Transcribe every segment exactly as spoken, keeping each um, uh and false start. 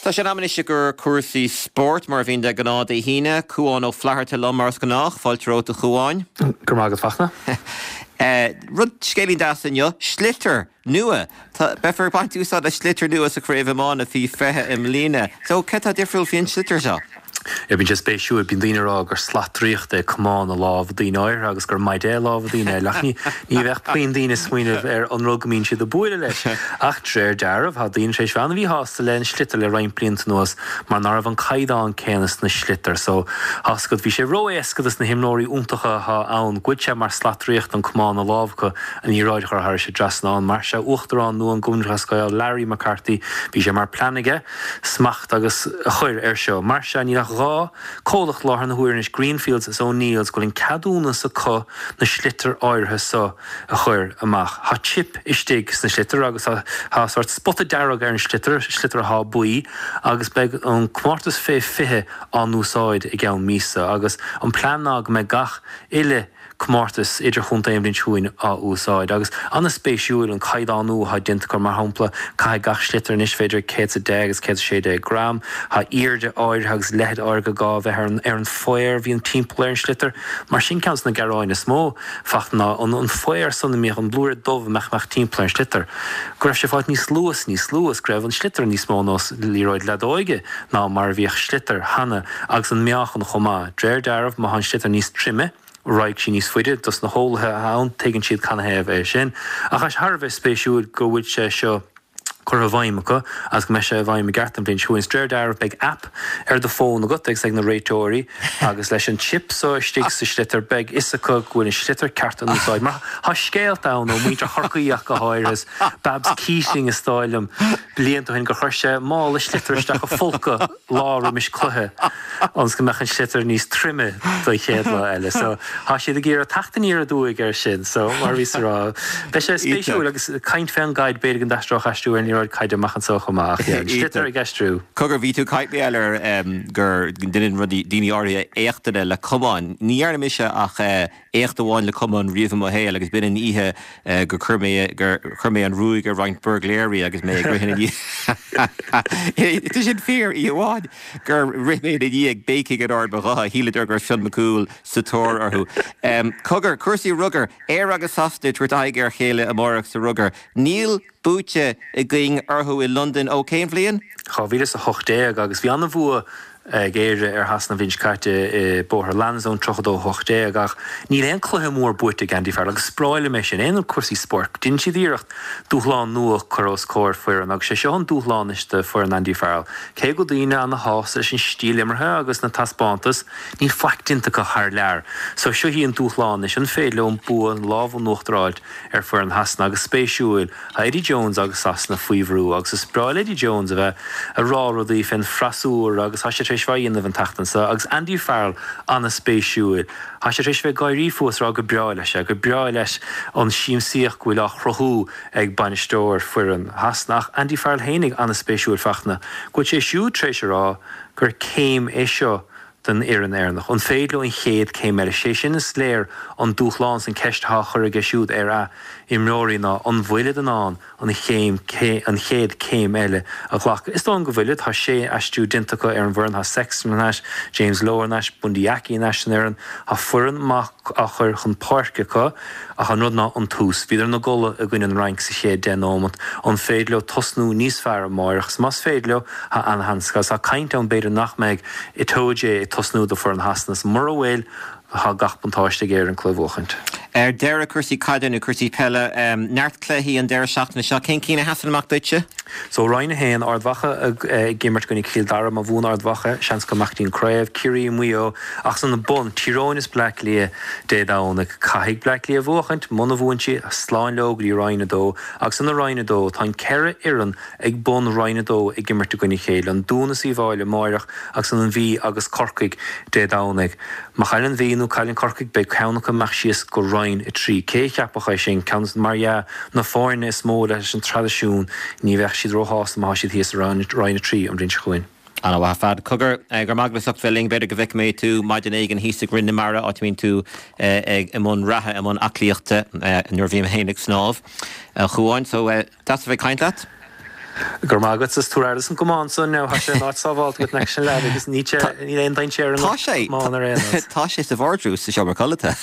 Tá sé in am anois i gcomhair cúrsaí spóirt mar a bhíonn de ghnáth Dé hAoine, Cuán Ó Flatharta liom mar is gnách, fáilte romhat a Chuáin. Go raibh maith agat Fachtna. Rud scéilín deas inniu, sliotar nua. Beifear ag baint úsáid as sliotar nua sa chraobh iomána faoi fiche i mbliana. So céard atá difriúil faoin sliotar seo? Bíonn sé spéisiúil, bíonn daoine ag rá gur slat draíochta é camán i lámha daoine áirithe agus gur maide é i lámha daoine eile, ach ní bheadh puinn daoine ag smaoineamh ar an rud go mbíonn siad ag bualadh leis. Ach de réir dealraimh, tá daoine tar éis bheith an-mhíshásta le an sliotar le roinnt blianta anuas mar ná raibh an caighdeán céanna sna sliotair. So, tá's agat, bhí sé ró-éasca dos na himreoirí iontacha atá ann, go bhfuil sé mar slat draíochta an camán i lámh acu an liathróid a chur thairis an dtrasnán. Mar sea, Uachtarán nua an Chumann Lúthchleas Gael, Larry McCarthy, bhí sé mar plean aige smacht agus a chur air seo. Mar sea, níl ach dhá comhlacht láthair na huaire anois, Greenfields is O'Neills, go bhfuil an ceadúnas acu na sliotair áirithe so a chur amach. Tá chip istigh sna sliotair agus tá tá sórt spota dearg ar an sliotar, sliotar athá buí, agus beidh an comórtas fé fiche á n-úsáid i gceann míosa agus an plean ná go mbeidh gach uile comórtas idirchontae an bhliain seo chugainn á úsáid. Agus an-spéisiúil an caighdeánú atá déanta acu, mar shampla, caithfidh gach sliotar anois bheith idir céad is a deich agus céad is a sé déag gram. Tá airde áirithe agus leithead áirithe gá bheith ar an ar an faobhar a bhíonn timpeall ar an sliotar. Mar sin ceann de na gearáin is mó Fachtna ná an an faobhar san a mbíodh an blúire dubh a mbeadh mbeadh timpeall ar an sliotar. Go raibh sé fáilt níos lú is níos lú is go raibh an sliotar níos mó nós liathróid leadóige ná mar a bhíodh sliotar cheana agus an meáchan chomh maith. D'réir dealraimh má tá an sliotar níos troime, raghaidh sí níos faide, dos na heolaithe atá ann, tuigeann siad canathaobh é sin. Ach tá sé thar a bheith spéisiúil go bhfuil sé seo curtha i bhfeidhm acu agus go mbeidh sé i bhfeidhm i gceart an bhliain seo chugainn. Is d'réir dealraimh beidh app ar do fón agat agus ag na réiteoirí agus leis an chip so istigh sa sliotar beidh fhios acu go bhfuil an sliotar ceart in úsáid. Mar tá scéalta ann ó mhuintir Chorcaí ach go háirithe, is Babs Keating is dóigh liom blianta ó shin gur chuir sé mála sliotar isteach a phóca lá roimis cluiche ionas go mbeadh an sliotar níos troime don chéad lá eile. So tá siad ag iarraidh teacht aniar aduaidh air sin. So mar a bhíos a rá, beidh sé spéisiúil agus caint fén gcaid b'fhéidir go n-aistreodh aistriú ar an liathróid caide amach anso chomh maith ach yeah, an sliotar ag aistriú. Cogar, bhí tú ag caint mar gheall ar gur ndeineann rudaí daoine áirithe éachtanna le camáin. Ní dhearna mise ach éacht amháin le camán riamh i mo shaol agus b'in an oíche gur chuir mé gur chuir mé an ruaig ar roinnt buirgléirí agus mé ag rith ina ndiaidh. Tá sin fíor, oíche amháin gur rith mé ina ndiaidh ag béicigh in ard mo ghutha, shíleadar go raibh Fionn Mac Cumhaill sa tóir orthu. Cogar, cúrsaí rugair, Éire agus Sasana ag tabhairt aghaidh ar a chéile amárach sa rugar. Níl buaite againn orthu i Londain ó cén bhliain? dhá mhíle is a hocht déag agus bhí an-bhua ag Éire ar Shasana an bhliain seo caite i Bóthar Lansdowne, tríocha a dó a hocht déag, ach níl aon cluiche mór buaite ag Andy Farrell agus is breá liom é sin. Aon cúrsaí spóirt, déanann siad iarracht dúshlán nua a chur os comhair foireann agus sé seo an dúshlán anois do foireann Andy Farrell. Cé go bhfuil daoine ana-shásta leis an stíl imeartha agus na taispeántais, níl faic déanta acu thar lear. So seo í an dúshlán anois, an féidir leo an bua, an lámh in uachtar a fháilt ar foireann Shasana agus spéisiúil, Tá Eddie Jones agus Sasana faoi bhrú agus is breá le Eddie Jones a bheith ag rá rudaí fén freasúra agus tá sé tar éis bheith á dhéanamh an tseachtain seo agus Andy Farrell ana-spéisiúil. Tá sé tar éis bheith ag gáirí fúthu is rá gur breá leis é, gur breá leis an siamsaíocht go bhfuil á chruthú ag bainisteoir foireann Shasana ach Andy Farrell fhéinig ana-spéisiúil Fachtna go bhfuil sé siúd tar éis a rá gur céim é seo don fhoireann Éireannach. An féidir leo an chéad céim eile? Sé sin is léir an dúshlán is an ceist atá á chur aige siúd ar a imreoirí ná an bhfuilid in ann an chéim an chéad céim eile a ghlacadh. Is dóigh liom go bhfuilid. Tá sé aistriú déanta acu ar an bhfoireann. Tá Sexton thar n-ais, James Lowe thar n-ais, Bundee Aki thar n-ais san fhoireann. Tá foireann maith á chur chun páirce acu ach an rud ná an tús. Bhíodar ina gcodladh i gcoinne an Fhrainc sa chéad deich nóimeat. An féidir leo tosnú níos fearr amáireach? Is más féidir leo, tá ana-sheans acu. Agus tá caint ann b'fhéidir nach mbeidh Itoje ag tosnú do foireann Shasana is mura bhfuil, tá gach buntáiste ag Éirinn cluiche a bhuachaint. Ar deireadh, cúrsaí caide nó cúrsaí peile, neart cluichí an deireadh seachtaine seo. Cén cinn a sheasann amach duitse? So, Roinn a haon, Ard Mhacha ag imirt i gcoinne Chill Dara. Má bhuann Ard Mhacha, seans go mbeadh dtí an craobh. Ciarraí, Maigh Eo. Ach san bun, Tír Eoghain is Bleá Cliath Dé Domhnaigh. Caithfidh Bleá Cliath bhuachaint. Muna bhuann siad, slán leo go dtí Roinn a dó. Agus san Roinn a dó, tá an ceithre fhoireann ag bun Roinn a dó ag imirt i gcoinne a chéile, an Dún is Uíbh Fhailí amáireach agus an Mhí agus Corcaigh Dé Domhnaigh. Má chailleann an Mhí nó cailleann Corcaigh beidh ceann acu ag imeacht síos go Roinn a trí. Cé a cheapfadh é sin? Ceann mar dhea na foirne is mó leis an traidisiún ní bheadh siad róshásta má tá siad thíos i Roinn a trí an bhliain seo chugainn. Ana-mhaith ar fad. Cogar, go raibh maith agat as ucht bheith linn. B'fhéidir go bhfeicfidh mé tú maidin éigin thíos ag Rinn na Mara, áit a mbíonn tú i mbun reatha, i mbun aclaíochta nuair a bhím féin ag snámh, a Chuáin. So, deas a bheith ag caint leat. Gur magat is tú an gcamán san nó sé áit sábháilte go sin le agus ní ní aon dainséar Tá sé Tá sé sa bhardrús sa seomra codlata.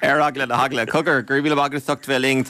Ar eagla na heagla cogar gur mí agus bheith linn.